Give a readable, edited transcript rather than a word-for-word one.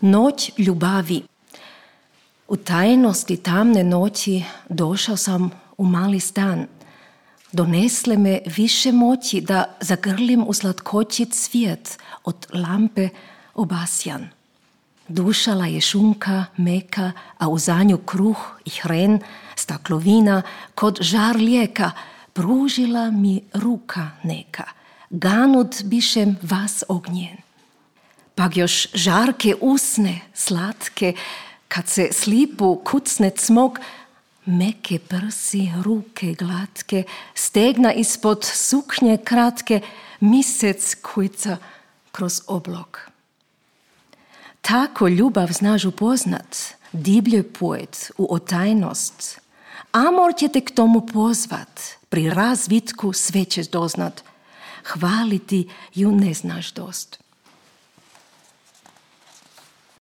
Noć ljubavi. U tajnosti tamne noći došao sam u mali stan. Donesle me više moći da zagrlim u slatkoći cvijet od lampe obasjan. Dušala je šunka, meka, a u zanju kruh i hren, staklovina, kod žar lijeka, pružila mi ruka neka, ganut bišem vas ognjen. Pak još žarke usne, slatke, kad se slipu kucne cmok, meke prsi, ruke glatke, stegna ispod suknje kratke, misec kujca kroz oblog. Tako ljubav znaš upoznat, divlje poet u otajnost. Amor će te k tomu pozvat, pri razvitku sve ćeš doznat. Hvaliti ju ne znaš dost.